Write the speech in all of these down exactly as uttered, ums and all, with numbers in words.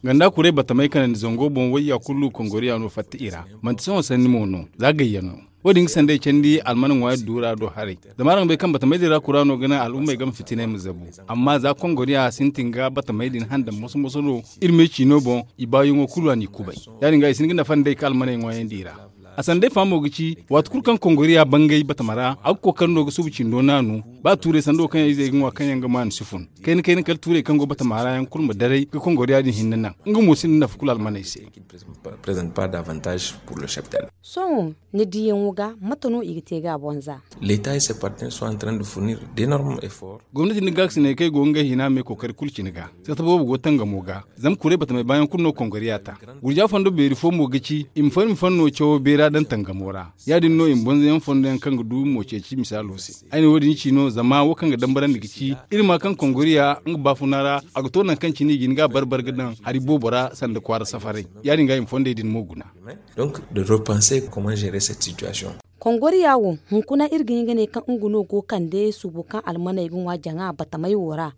Ganda kuray batamey kanandi zango boŋ wayya kulu kongoriya no fatta i ra. Manti sohõ sanni mo no, za gayyaŋ no. Wo- din ga sanday candi almana ŋwaari duura do haray. Zama araŋ bay kaŋ batamey din ra kura no ga naŋ al'ummey game fitinay ma zabu. Amma za kongoriya sintin ga batamey din handan moso-moso no, iri me ciino boŋ, i baayaŋo kulu a n'i kubay. Ya- din ga i si hin ga nafa nd'ey ka almaney ŋwaayandi i ra. A sanday fa mo ga ci, waati kulu kaŋ kongoriya bangay batama ra, a ga kookari no ga subu cindo naanu. Ba tuurey sanda wo kaŋ yaŋ izey ga ŋwa kaŋ yaŋ ga maanu si fun. Kayna-kayna kala tuurey kaŋ go batama ra yaŋ kulu ma daray ga kongoriya din hinne naŋ. Nga mo sinda nafa kulu almaney se. Sohõ, ni diyaŋo ga mate no i ga te ga a boŋ za? Gomnati nda gaakasiney kaŋ ay go ga ngey hina me kookari kulu cine ga. Sata boobo go tangamo ga. Zama kuray batamey baayaŋ kulu no kongoriya ta. Gurja fondo beeri fo mo ga ci, i ma far i ma fanno cawo beera daŋ tangamo ra. Ya- din no i ma banza yaŋ fondo yaŋ kaŋ ga du mo ceeci misaalo se. Ay ne wo- din ci no zama wo kaŋ ga dambarandi ga ci, iri ma kaŋ kongoriya nga baafuna ra, a ga to nangu kaŋ cine i ga hin ga a bar-bar ga daŋ hari boobo ra sanda kwaara safaray. Ya- din ga i ma fondey din mo guna. Kongoriya wo, hunkuna iri ga hin ga ne kaŋ nga no go kande suubo kaŋ almaney ga ŋwa jaŋa batamey wo ra.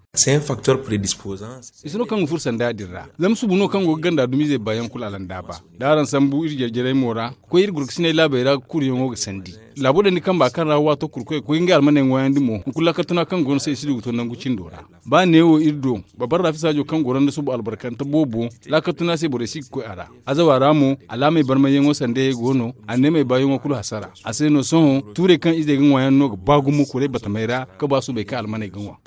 I si no kaŋ ga furo sanda din ra. Zama suubo no kaŋ go ga ganda dumizey baayaŋ kulu alandaaba. Da araŋ sambu iri jare-jarey mo ra, ga koy iri gurkasiney laabey ra ga kuruyaŋo ga sandi. Laabo dandi kamba kaŋ ra waato kulu koy ga koy ngey almaney ŋwaayandi mo, hunkuna laakal tuna kaŋ go no se i si du ga to nangu cindo ra. Ba neewo iri do, babbar raafi saajo kaŋ goro nda subu albarkante boobo, laakal tuna se borey si ga koy a ra. Azawa ra mo, alaamey barmayyaŋo sandayey go no, anneemey baayaŋo kulu hasara. A se no sohõ tuurey kaŋ izey ga ŋwaayaŋ no ga ba gumo kuray batamey ra, ga ba subey kaŋ almaney ga ŋwa.